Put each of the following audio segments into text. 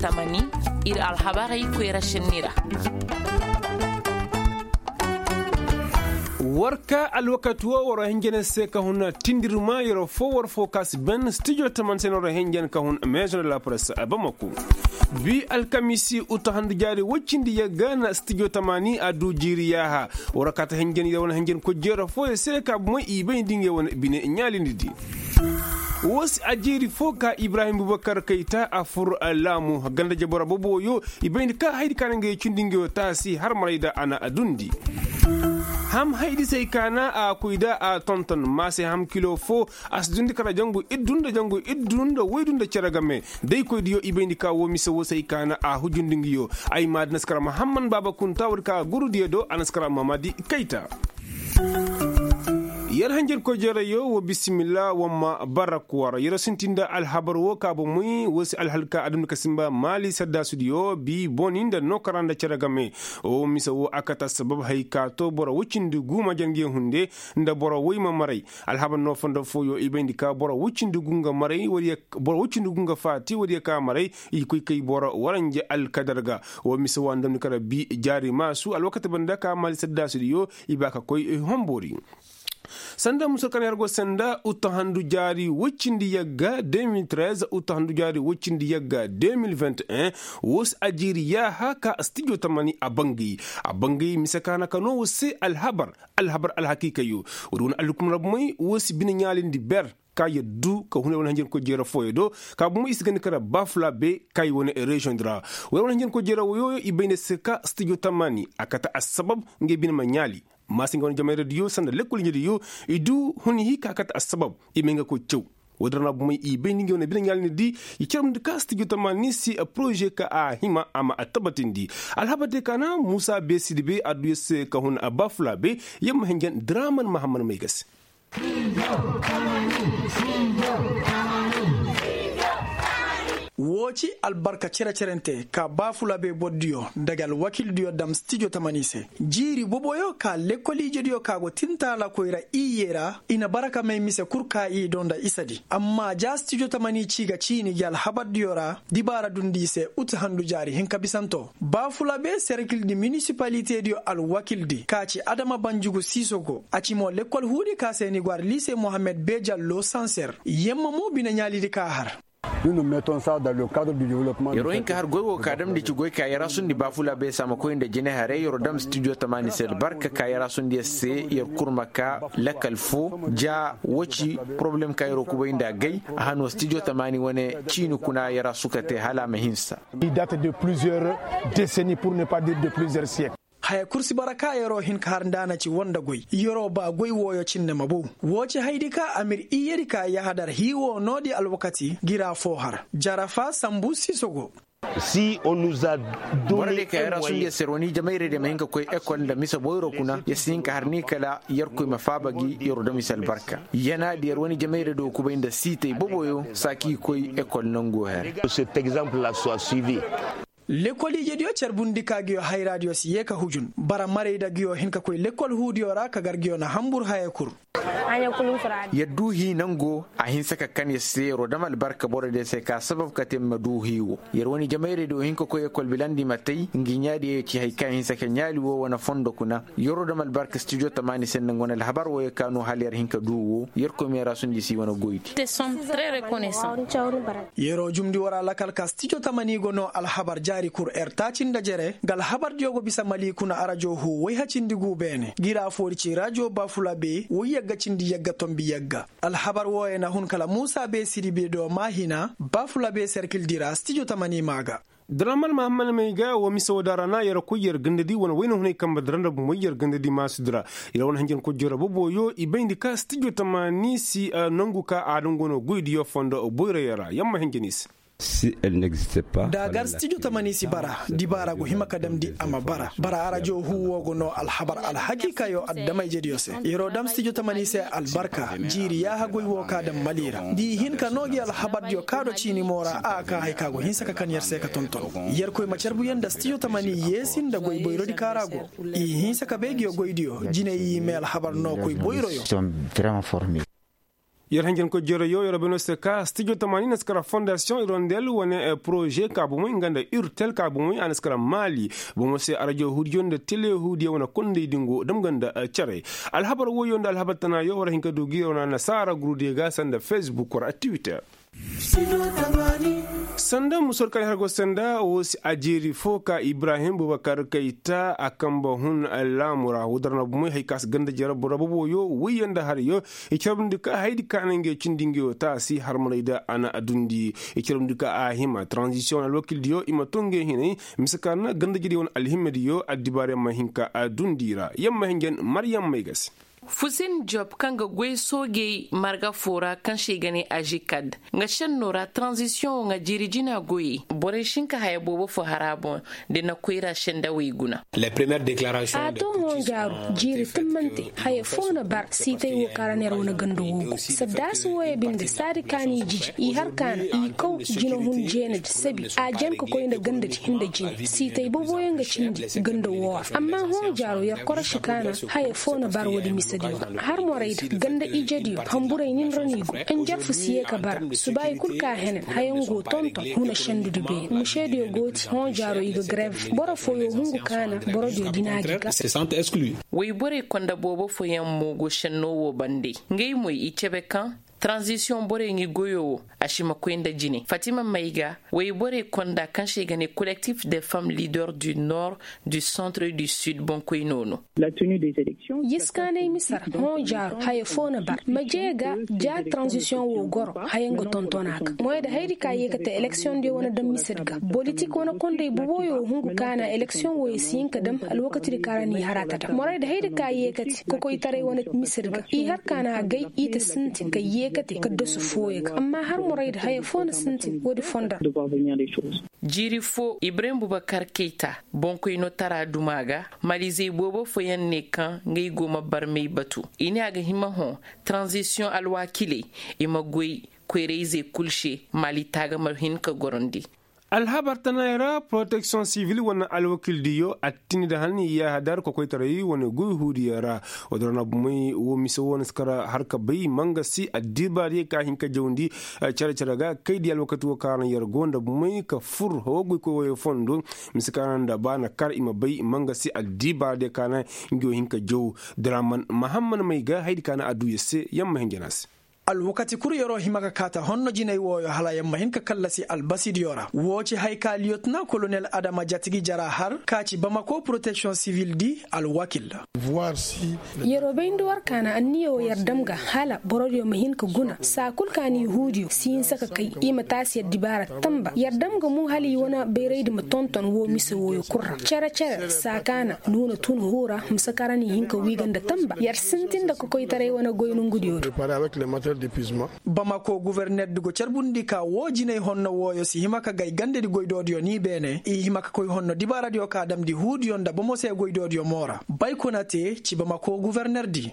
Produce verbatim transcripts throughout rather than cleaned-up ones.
Tamani, ir alhabarey koyra šenni ra. War ka alwakati wo war hinja ne se ka hun tindirma yer fo war fo ka si ben studio tamani se no war hinja ne ka hun maison de la presse bamako. Bi alkamisi uta handu jaari woy cindi yagga na studio tamani a du jiiri yaaha. War ka ta hinja ne yer wane hinja ne koy jeera fo yer se ka bumey i bay nda ngey wane bine ɲaalindi di. Wo si a jiiri fo ka ibrahim bubakar kayta a fur laamu ganda jabora boboyo. I bay nda ka haydi ka na ngey cindi ngey wo taasi har maray da a na a dundi. Ham haydi se ay ka na a koy da a tonton maase ham kilo fo. A si dundi kala jangu iddu nda jangu iddu nda waydu nda cere game. Day koydiyo i bay nda ka wo mise wo se ay ka na a hujundi nguyo. Ay ma di naskara mahamman baaba kunta wadi ka gurudiyo do a naskara mamadi kayta. Yer hanjarkoy jereyo wo bisimilla wamma bara kuwara yer sintin nda alhabar wo ka bomey wo si alhalka adamni ka simba maali saddaasudiyo bi boni nda nookara nda cere game. Wo mise wo a kate assabab hay ka to boro woy cindi gu ma jange hunde nda boro woy ma maray. Alhabar no fondo fooyo i bayndi ka boro woy cindi gu nga maray wala boro woy cindi gu nga faati wala ye ka maray. I koy kay boro waranja alkadar ga. Wo mise wo a ndamni kara bi jaari maasu alwakati banda ka maali saddaasudiyo. I ba ka koy homboori. Sanda musa kaŋ yer go sanda uta handu jaari woy cindi yagga deux mille treize uta handu jaari woy cindi yagga deux mille vingt et un. Wo si a jiiri yaaha ka stijo tamani a bangay. A bangay mise ka na ka no wo se alhabar. Alhabar alhakiikayo. Wo- di wane alhukum ra bomey wo si bine ɲaalindi ber. Ka yer du ka hunay wane hanjankoy jeera fooyo do. Ka bomey i si gandi kara baafulaabe ka i wane reziyoŋ di ra. Wo- di wane hanjankoy jeera woyo i bay ne se ka stijo tamani a kate assabab. Ngey bine ma ɲaali. Maasi nga wane jamayra diyo sanda lekkol ɲa diyo. I du huni hii ka kate assabab. I may nga koy caw. Wo- din ra na bomey i bay ni nga wane bine ɲaali ni di. I caramndi ka stijo tamani si poroze ka a hima a ma a tabatindi. Alhabar de ka na muusa be sidi be a du yer se ka hun a baafulaabe. Yer ma hinjan draman mahamman may ga se. Woo ci albarka cere-cerente ka baafulaabe bordiyo nda ga alwakildiyo dam stijo tamani se. Jiiri boboyo ka lekkol ijediyo ka go tintaalakoy ra iyye ra i na bara ka may mise kul ka i do nda isadi. Amma ja stijo tamani ci ga ciini gi alhabardiyo ra. Dibaara dundi i se ut handu jaari hinka bisanto. Baafulaabe serkildi minisipalitediyo alwakildi ka ci adama banjugu siisogo a ci mo lekkol huudi ka se ni go ar liise mohammed bejallo sanser. Yemma mo bine ɲaalidi ka har. Yer wo hin ka har goy wo ka damndi ci goy ka yer asundi baafulaabe saamakoy nda jine haray yer wo dam stijo tamaani se albarka ka yer asundi yer se yer kurma ka lakkal fo. Ja wo ci poroblem ka yer wo kubay nda agay. A han wo stijo tamaani wane ciini kuna yer asu ka te hala a ma hinsa. Haya kul si bara ka yeroo hin ka har nda a na ci woo nda goy yeroo ba goy wooyo cindi ma bow. Woo ci haydi ka amir iyyedi ka yahadar hii woo noodi alwakati gira foo har jarafa sambu siiso go. Boro diyo ka yer asundiyo se yer wane ijemayrey diyo ma hin ka koy ekol nda mise boyro kuna yer si hin ka har ni kala yerkoy ma faaba gi yer woo dam i se albarka. Yanaadi yer wane ijemayrey diyo kubay nda siitey boboyo saa k'i koy ekol nangoo her. Lekkol ijediyo carbundi ka nguyo hayraadiyo si yee ka hujun bara marayda nguyo hin ka koy lekkol huudiyo ra ka gar nguyo na hanbur haya kul. Yer duu hii nangoo a hinsa ka kan yer se yer woo dam albarka borodiyo se ka sabab ka te ma duu hii woo. Yer wane ijemayrey diyo hin ka koy ekol bilandi ma tay ngi ɲaadiyo ci hay ka hinsa ka ɲaali woo wane fondo kuna. Yer woo dam albarka stijo tamaani se nda nga wane alhabar wooyo ka no hala yer hin ka duu woo yerkoy ma yer asundi si wane goydi. Yeroo jumndi war a lakal ka stijo tamani go noo alhabar jaari kur er taaci nda jere nga alhabardiyo go bisa mali kuna arajo huu woy hacindi guu beene gira foori ci rajo baafula bee woy yagga cindi yagga tombi yagga. Alhabar wooyo na hun kala muusa bee sidi bee do maahina baafula bee serkildi ra stijo tamani maa ga. Daraman mahamman may ga woo mise woo da ra na yer koy yer gandadi wane wayna hunay kambe dara nda bumey yer gandadi maasudi ra. Yer wane hanjankoy jere boboyo i bayndi ka stijo tamani si nangu ka a dungoo no goydiyo fondo boyroyo ra yer ma hanjan i se. Da gar stijo tamani si bara dibaara go hima ka damndi a ma bara bara arajo huu woo go noo alhabar alhakiikayo adama-ijediyo se. Yeroo dam stijo tamani se albarka jiiri yaaha goy woo ka dam mali ra nda i hin ka noo gi alhabardiyo ka do ciini moo ra a kaa hay ka go hinsa ka kan yer se ka tonton. Yerkoy ma carbuyaŋ nda stijo tamani yeesi nda goy boyrodi ka ra go. I hinsa ka bay nguyo goydiyo jiney i mee alhabar noo koy boyroyo. Yer hanjankoy jereyo yer beno se ka stijo tamaani na si kara fondasiyoŋ irondel wane poroze ka bomey nga nda urtel ka bomey a na si kara maali bomo se arajo huudiyo nda tele huudiyo wane kondey dingo dam nga nda cere. Alhabar woyo nda alhabar tanayo war hin ka du gi yer wane annasaara gurudiyo ga sanda facebook war a tiwiter. Sanda musor kaŋ i har go sanda wo si a jeeri fo ka ibrahim bubakar kayta a kamba hun laamu ra wo dara na bumey hari ka si ganda jere boro boboyo woyyaŋ nda harayo. I carbundi ka haydi ka na ngey cindi ngayo taasi harmaray da a na a dundi. I carbundi ka a hima tranzisiyoŋ wane alwakildiyo i ma to ngey hinay mise ka na ganda jere wane alhimadiyo addibaariyaŋ ma hin ka a dundi ra yamma hinjan maryam may ga se. Fusin job kaŋ ga goy soojey marga fo ra kaŋ se i ga ne ajikad nga senno ra tranzisiyoŋo nga jiiri jina goyey borey si hin ka haya boobo fo har a boŋ. Da na koyra sendawey guna. A to hõ jaaru jiiri timmante haya fo na bar siitay wo kaŋ ra neera wane ganda woogu saddaasi wooyo binde saadi kaani jiji i har kaana i kaw jina hun jeenadi sabi a jan ka koy nda gandadi nda jine siitay boboyaŋ ga cindi ganda woo ra amma hõ jaaro yer korosi kaana haya fo na bar woodi misediyo ra har morayda ganda ijediyo hamburay nin ra no i go njarfu si ye ka bara subaayi kul ka henen hayaŋ go tonton huna sendudi beene mušediyo go ti hõ jaaro i ga grev boro fooyo hungu kaana borodiyo dina gi ga. Wayborey konda boobo fooyaŋ mo go senno wo bande ngey moy i cebe kaŋ tranzisiyoŋ borey ngi goyo wo a si ma koy nda jine fatima may ga wayborey konda kaŋ se i ga ne kolektif de femme leader du nord du centre du sud boŋkoy no no. Yiskaanay mise ra hõ jaaro haya foo na bar ma jee ga ja tranzisiyoŋ wo goro haya nga tonton a ga moyda hayadi ka yee ka te eleksiyoŋ diyo wane daŋ mise di ga bolitik wane kondey boboyo hungu ka na eleksiyoŋ wo i si hin ka daŋ alwakatidi ka ra n'i har a ta daŋ morayda hayadi ka yee ka te kokoytaray wane mise di ga i har ka na gay i ta sintin ka yee ka te ka doso fooyo ga amma har morayda haya foo na sintin woodi fondo ra. Jiiri foo ibrahim bubakar keyta boŋkoynotara duma ga malizey boobo fooyaŋ ne kaŋ ngey go ma barmey batu i ne a ga hima hõ. Taranzisiyoŋ alwaakiley i ma goy koyrayzey kul se mali taaga ma hin ka gorandi. Alhabar tanayaŋ ra poroteksiyoŋ sivil wane alwakildiyo attini nda hani yahadar kokoytaray wane goy huudiyaŋ ra. Woo dora na bumey woo mise woo na si kara har ka bay mangasi addibaariyey ka hin ka jawndi cere-cere ga kaydiyo alwakati woo ka ra na yer go nda bumey ka fur hawa goykoy wooyey fondo. Mise ka ra nda ba na kar i ma bay mangasi addibaariyey ka na ngi woo hin ka jaw. Draman mahamman may ga hayadi ka na a duu yer se yer ma hin jana se. Alwakati kul yeroo hima ka kaata honno jinay wooyo hala yer ma hin ka kallasi albasidiyo ra woo ci hay ka liyotna kolonel adama jatigi jara har ka ci bamako poroteksiyoŋ sivil di alwakil. Yeroo bayndi war ka na anniya woo yer dam ga hala borodiyo ma hin ka guna saa kul ka na yahuudiyo si hinsa ka kay i ma taasi yer dibaara tamba yer dam ga mo hala i wane bayraydi ma tonton woo mise wooyo kul ra cere-cere saa ka na nuuna tun huu ra mise ka ra n'i hin ka wii ga nda tamba yer sintin nda kokoytaray wane goy nongudiyo do. Bamako guforner di go carbundi ka woo jinay honno wooyo si hima ka gay gandadi goydoodiyo ni beene i hima ka koy honno dibaaradiyo ka damndi huudiyo nda bomo se goydoodiyo mo ra bay kuna te ci bamako guforner di.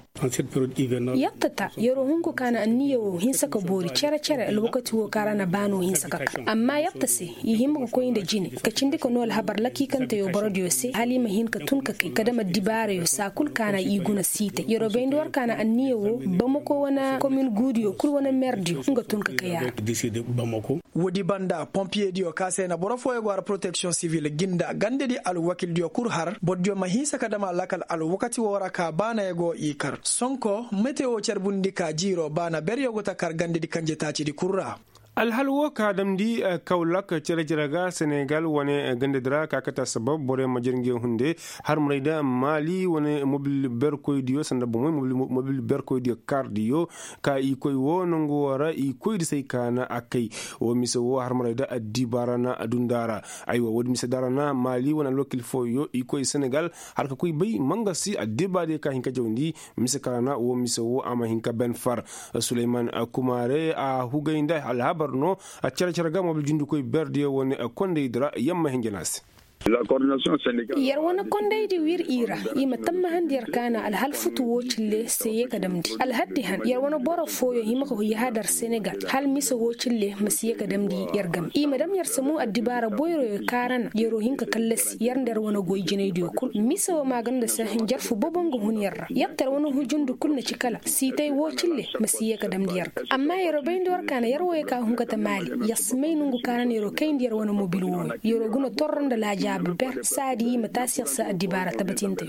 Yer ta ta yeroo hunku ka na anniya woo hinsa ka boori cere-cere alwakati woo ka ra na baanoo hinsa ka kar amma yer ta se i hima ka koy nda jine ka cindi ka noo alhabar lakiikanteyo borodiyo se hala i ma hin ka tun ka kay ka dam addibaarayo saa kul ka na i guna siitay yeroo bayndi war ka na anniya woo bamako wane komin guudiyo kul wane merdiyo nga tun ka kay a ra. Woodi banda pompiyediyo ka se na boro fooyo go har poroteksiyoŋ sivil gi nda gandedi alwakildiyo kul har bordiyo ma hinsa ka dam a lakal alwakati woo ra ka baanayo go i kar sonko metewo carbundi ka jiiroo baana beryo go ta kar gandedi kanje taacidi kul ra. Alhal woo ka damndi kawlak cere-cere ga senegal wane gandedi ra ka kate assabab borey ma jere ngi hunde harmaray da maali wane mobil berkoydiyo sanda bomey mobil berkoydiyo kardiyo ka i koy woo nongu woo ra i koy di se ay kaana a kay. Woo mise woo harmaray da addibaara na adundaara. Aywa woodi mise daara na maali wane alwakil fooyo i koy senegal har ka koy bay mangasi addibaara diyo ka hin ka jawndi. Mise kaŋ ra na woo mise woo a ma hin ka ben far. Suleyman kumaare a hugay nda alhabar no. Cere-cere ga mobil jundikoy berdiyo wane kondey di ra yamma hinja na se. Yer wane kondaydi wir i ra. I ma tammahandi yer ka na alhal futu woo cille se ye ka damndi alhaddi han yer wane boro fooyoŋ hima ka yahadar senegal hal mise woo cille ma si ye ka damndi yer game i ma dam yer samu addibaara boyroyo kaarana yeroo hin ka kallasi yer nda yer wane goy jinaydiyo kul mise woo maaganda se njarfu bobo nga hun yer ra yer ta yer wane hujundu kul na ci kala siitay woo cille ma si ye ka damndi yer ga amma yeroo bayndi war ka na yer wooyo ka hun ka ta maali yer si may nongu kaarana yeroo kayndi yer wane mobil wooyo yeroo guna torro nda laajaabu ber saadi i ma taasi yer se addibaara tabatinte.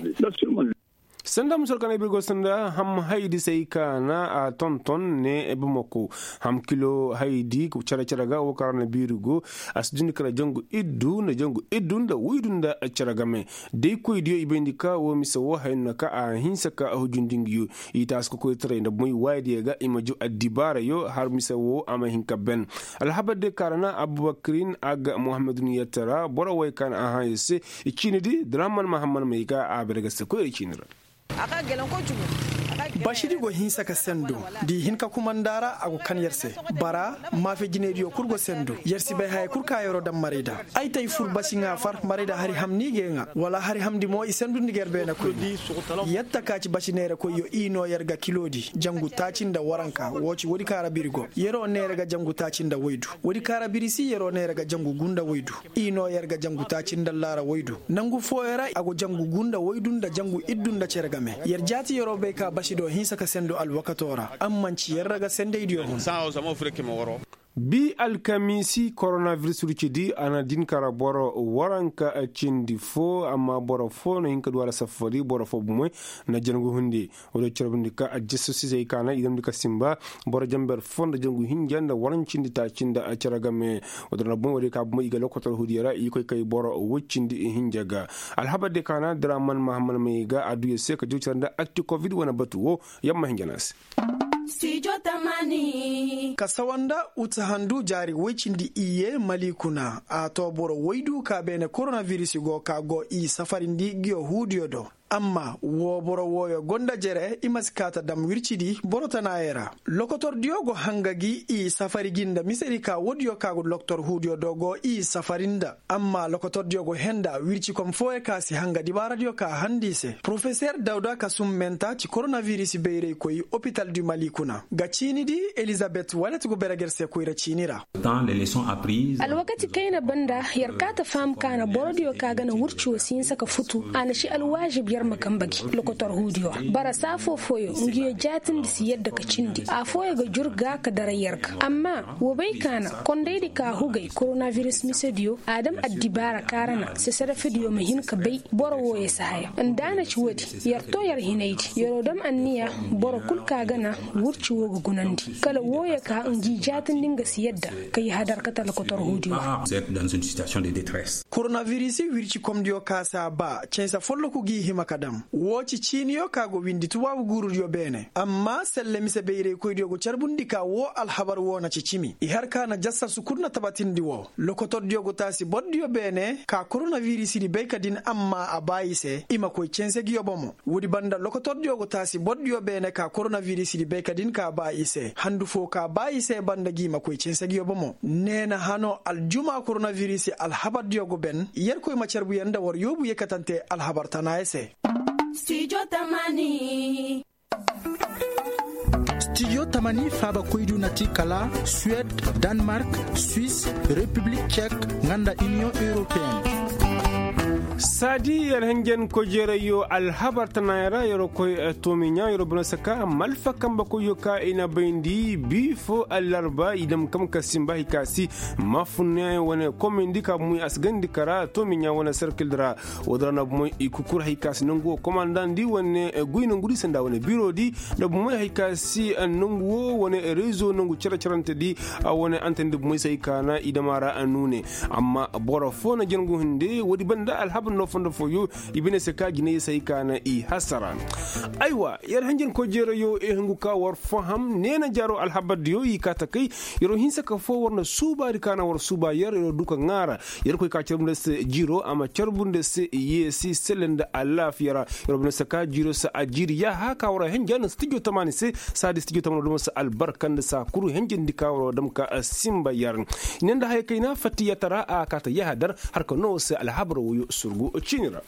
Sanda musor kana birgo sanda ham haydi say kana a tonton ne bamako ham kilo haydi cere cere ga wo kara na birigo a si dundi kala jangu iddu nda jangu iddu nda waydu nda cere game day koy diyo i bayndi ka wo mise wo hayno ka a hinsa ka a hujundingiyo i taasi ka koy taray nda moy waaydiyo ga i ma ju addibaarayo har mise wo a ma hin ka ben alhabar de kara na abubakirin aga muhammadun yattara boro way kana a hayo se i ciini di draman mahamman may ga a bere ga se koyra ciini ra. Basidi go hinsa ka sendo da i hin ka kumanda ra a go kan yer se bara maafe jinaydiyo kul go sendo yer si bay haya kul ka yeroo daŋ marayda ay tay fur basi ŋaa far marayda hari ham ni ga ye ŋaa wala hari hamndi mo i sendundi ga yer beene koyne yer ta ka ci basi neerakoyyo i noo yer ga kiloodi jangu taaci nda waranka woo ci woodi ka ra biri go yeroo neera ga jangu taaci nda waydu woodi ka ra biri si yeroo neera ga jangu gu nda waydu i noo yer ga jangu taaci nda laara waydu nangu fooyo ra a go jangu gu nda waydu nda jangu iddu nda cere game yer jaati yeroo bay ka basi do hinsa ka sendo alwakatoo ra amma nci yer ra ga sendaydiyo hun. Bi alkamiisi koronabiris rucidi a na din kara boro waranka cindi foo amma boro foo na hin ka du a ra safari boro foo bumoy na jangu hundi. Wala carbundi ka a jesusisey ka na i damndi ka simba boro jamber foo nda jangu hinja nda warancindi taaci nda cere game. Wala na bumoy wala ka bumoy i ga lokotor hudiyo ra i koy kay boro woy cindi hinja ga alhabar de ka na draman mahamman may ga a du yer se ka jaw cere nda akti kovid wane batu wo yamma hinja na se. Ka sawa nda uta handu jaari woy cindi iyye mali kuna a too boro woydu ka beene koronabiris go ka go i safarindi ngiyo huudiyo do amma woo boro wooyo go nda jere i ma si kaa ta dam wircidi boro tanaayey ra. Lokotordiyo go hanga gi i safari gi nda misedi ka woodiyo ka go lokotor huudiyo do go i safari nda amma lokotordiyo go henda wircikom fooyo ka si hanga dibaaradiyo ka handi i se porofeser dawda ka summenta ci koronabiris bayraykoy opital du mali kuna ga ciini di elizabet walet go berger se koyra ciini ra. Alwakati kayna banda yer kaa ta faham ka na borodiyo ka ga na wurci wo si hinsa ka futu a na ci alwaazib yer ma kamba gi lokotor huudiyo ra bara saa foo fooyo ngiyo jaatindi si yadda ka cindi afooyo ga jur ga ka dara yer ga amma woo bay ka na kondaydi ka hugay koronabiris misediyo a dam addibaara kaara na seserefediyo ma hin ka bay boro wooyo si haya nda a na ci woodi yer too yer hinaydi yeroo dam anniya boro kul ka ga na wurci woo ga gunandi kala wooyo ka ngi jaatindi nga si yadda ka i hadar ka ta lokotor huudiyo ra. Koronabiris wircikomdiyo ka si a baa canse folloku g'i hima ka dam woo ci ciiniyo ka go windi tubaabu guurudiyo beene amma selle mise bayraykoydiyo go carbundi ka woo alhabar woo na ci cimi i har ka na jassasu kul na tabatindi woo lokotordiyo go taasi bordiyo beene ka koronabirisidi bay ka din amma a baa i se i ma koy canse ngiyo bomo woodi banda lokotordiyo go taasi bordiyo beene ka koronabirisidi bay ka din ka baa i se handu foo ka baa i se banda ngi ma koy canse ngiyo bomo neena hano aljuma koronabiris alhabardiyo go ben yerkoy ma carbu yer nda war yoobu yekkatante alhabar tanaayo se. Stijo tamani faaba koydu na ti kala suwed, danmark, suis, repiblik cek, nga nda iniyoŋ europeen. Saadi yer henjen kojeerayyo alhabar tanaaya ra yeroo koy toomiɲaa yeroo bana saka malfa kambe koyyo ka i na bayndi bii foo allarba i dam kam ka simba hay ka si mafunneyaŋ wane komayndi ka bumey a si gandi kara toomiɲaa wane serkil ra. Woo dira na bumey i kukur hay ka si nangu woo komandandi wane goy nangudi sanda wane biroodi nda bumey hay ka si nangu woo wane rezo nangu cere-cerentedi. Wane antandi bumey se hay ka na i dam a ra nuune. Amma boro foo na jangu hinde woodi banda alhabar. No fondo fooyo i bine se ka jinay se ay ka na i hasara. Aywa, yer hanjankoy jeerayo i hungu ka war faham neena jaaro alhabardiyo i kaa takay. Yeroo hinsa ka foo war na suubaadi ka na war suuba yer yeroo du ka ŋaara. Yeroo koy ka carbu nda se jiiroo a ma carbu nda se yeesi selle nda alaafiya ra. Yeroo bine se ka jiiroo se a jiiri yaaha ka war a hinja nda se tijoo tamaani se. Saadi se tijoo tamaani war duma se albarka nda se a kuru hinjandi ka war a dam ka sinba yer. I ne nda haya kayna fatti yatara a kaa ta yaaha dar. Har ka noo se alhabar wooyo surgu ciini ra.